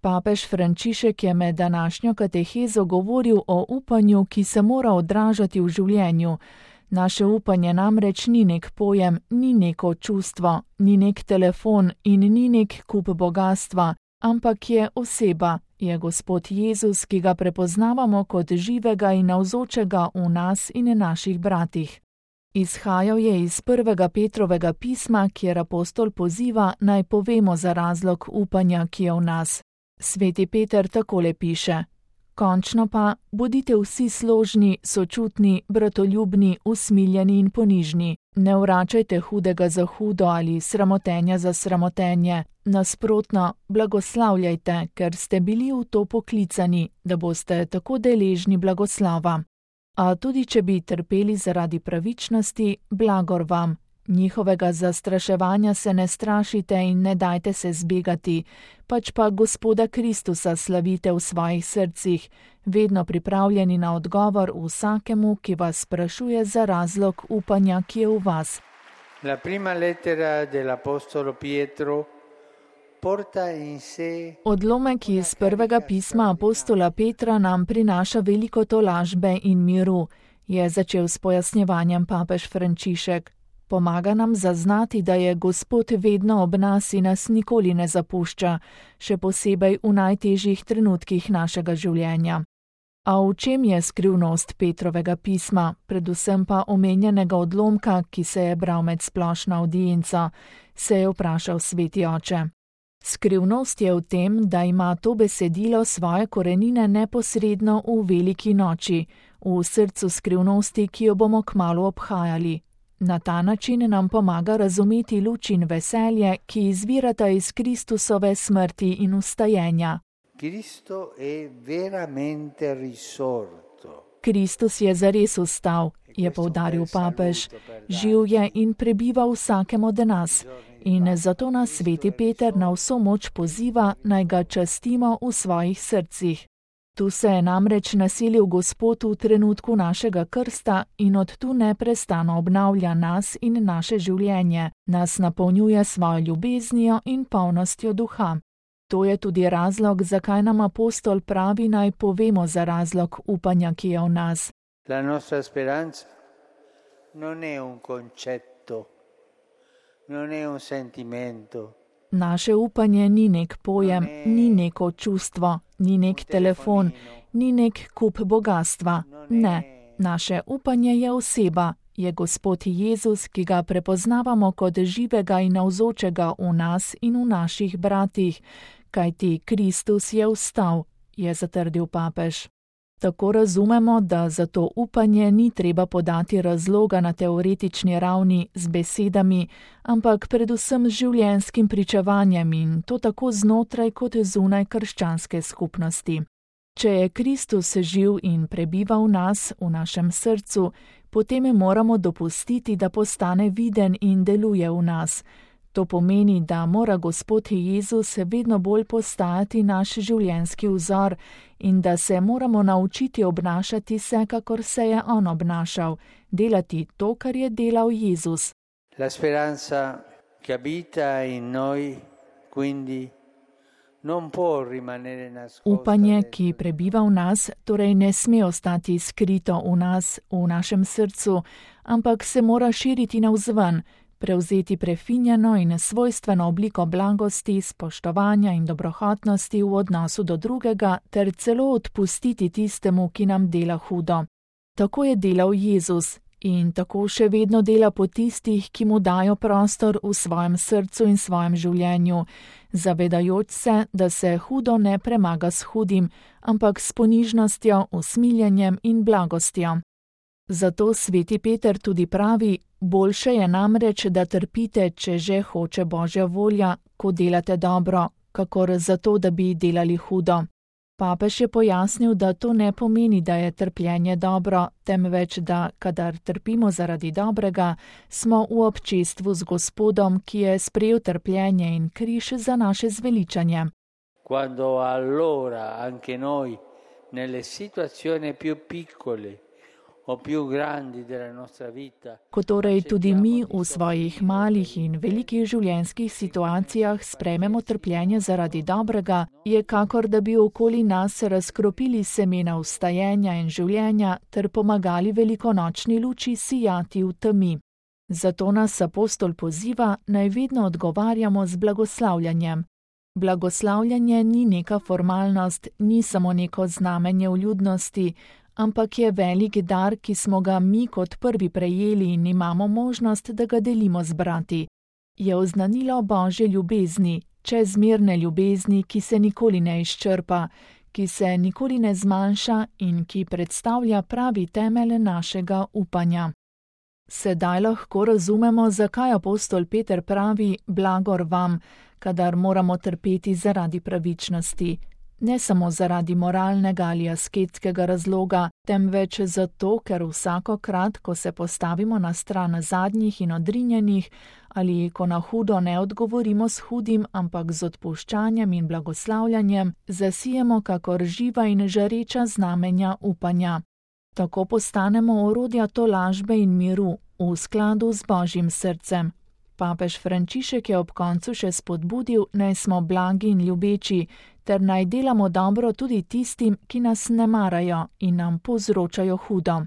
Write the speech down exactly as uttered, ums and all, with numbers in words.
Papež Frančišek je med današnjo katehezo govoril o upanju, ki se mora odražati v življenju. Naše upanje namreč ni nek pojem, ni neko čustvo, ni nek telefon in ni nek kup bogastva, ampak je oseba, je Gospod Jezus, ki ga prepoznavamo kot živega in navzočega v nas in naših bratih. Izhajal je iz prvega Petrovega pisma, kjer apostol poziva, naj povemo za razlog upanja, ki je v nas. Sveti Peter takole piše: končno pa, bodite vsi složni, sočutni, bratoljubni, usmiljeni in ponižni. Ne vračajte hudega za hudo ali sramotenja za sramotenje. Nasprotno, blagoslavljajte, ker ste bili v to poklicani, da boste tako deležni blagoslava. A tudi če bi trpeli zaradi pravičnosti, blagor vam. Njihovega zastraševanja se ne strašite in ne dajte se zbegati, pač pa Gospoda Kristusa slavite v svojih srcih, vedno pripravljeni na odgovor vsakemu, ki vas sprašuje za razlog upanja, ki je v vas. La prima lettera dell'apostolo Pietro porta in sé. Odlomek iz prvega pisma apostola Petra nam prinaša veliko tolažbe in miru, je začel s pojasnjevanjem papež Frančišek. Pomaga nam zaznati, da je Gospod vedno ob nas in nas nikoli ne zapušča, še posebej v najtežjih trenutkih našega življenja. A v čem je skrivnost Petrovega pisma, predvsem pa omenjenega odlomka, ki se je bral med splošno avdienco, se je vprašal sveti oče. Skrivnost je v tem, da ima to besedilo svoje korenine neposredno v veliki noči, v srcu skrivnosti, ki jo bomo kmalu obhajali. Na ta način nam pomaga razumeti luč in veselje, ki izvirata iz Kristusove smrti in vstajenja. Cristo è veramente risorto. Kristus je zares vstal, je poudaril papež, živ je in prebiva v vsakem od nas. In zato nas sveti Peter na vso moč poziva, naj ga častimo v svojih srcih. Tu se je namreč naselil Gospod v trenutku našega krsta in od tu neprestano obnavlja nas in naše življenje, nas napolnjuje svojo ljubeznijo in polnostjo duha. To je tudi razlog, zakaj nam apostol pravi, naj povemo za razlog upanja, ki je v nas. La nostra speranza non è un concetto, non è un sentimento. Naše upanje ni nek pojem, ni neko čustvo, ni nek telefon, ni nek kup bogastva. Ne, naše upanje je oseba, je Gospod Jezus, ki ga prepoznavamo kot živega in navzočega v nas in v naših bratih, kajti Kristus je vstal, je zatrdil papež. Tako razumemo, da za to upanje ni treba podati razloga na teoretični ravni z besedami, ampak predvsem z življenjskim pričevanjem in to tako znotraj kot zunaj krščanske skupnosti. Če je Kristus živ in prebiva v nas, v našem srcu, potem moramo dopustiti, da postane viden in deluje v nas. To pomeni, da mora Gospod Jezus vedno bolj postajati naš življenjski vzor in da se moramo naučiti obnašati se, kakor se je on obnašal, delati to, kar je delal Jezus. La speranza che abita in noi, quindi non può rimanere nascosta. Upanje, ki prebiva v nas, torej ne sme ostati skrito v nas, v našem srcu, ampak se mora širiti navzven, prevzeti prefinjeno in svojstveno obliko blagosti, spoštovanja in dobrohotnosti v odnosu do drugega ter celo odpustiti tistemu, ki nam dela hudo. Tako je delal Jezus in tako še vedno dela po tistih, ki mu dajo prostor v svojem srcu in svojem življenju, zavedajoč se, da se hudo ne premaga s hudim, ampak s ponižnostjo, usmiljenjem in blagostjo. Zato sveti Peter tudi pravi, boljše je namreč, da trpite, če že hoče Božja volja, ko delate dobro, kakor zato, da bi delali hudo. Papež je pojasnil, da to ne pomeni, da je trpljenje dobro, temveč da, kadar trpimo zaradi dobrega, smo v občestvu z Gospodom, ki je sprejel trpljenje in križ za naše zveličanje. Quando allora anche noi nelle situazioni più piccole o più grandi della nostra vita. Ko torej tudi mi v svojih malih in velikih življenjskih situacijah sprejmemo trpljenje zaradi dobrega, je kakor da bi okoli nas razkropili semena vstajenja in življenja ter pomagali velikonočni luči sijati v temi. Zato nas apostol poziva, naj vedno odgovarjamo z blagoslavljanjem. Blagoslavljanje ni neka formalnost, ni samo neko znamenje vljudnosti, ampak je velik dar, ki smo ga mi kot prvi prejeli in imamo možnost, da ga delimo z brati. Je oznanilo Božje ljubezni, čezmerne ljubezni, ki se nikoli ne izčrpa, ki se nikoli ne zmanjša in ki predstavlja pravi temelj našega upanja. Sedaj lahko razumemo, zakaj apostol Peter pravi: blagor vam, kadar moramo trpeti zaradi pravičnosti. Ne samo zaradi moralnega ali asketskega razloga, temveč zato, ker vsakokrat, ko se postavimo na stran zadnjih in odrinjenih, ali ko na hudo ne odgovorimo s hudim, ampak z odpuščanjem in blagoslavljanjem, zasijemo kakor živa in žareča znamenja upanja. Tako postanemo orodja tolažbe in miru, v skladu z Božjim srcem. Papež Frančišek je ob koncu še spodbudil, naj smo blagi in ljubeči, ter naj delamo dobro tudi tistim, ki nas ne marajo in nam povzročajo hudo.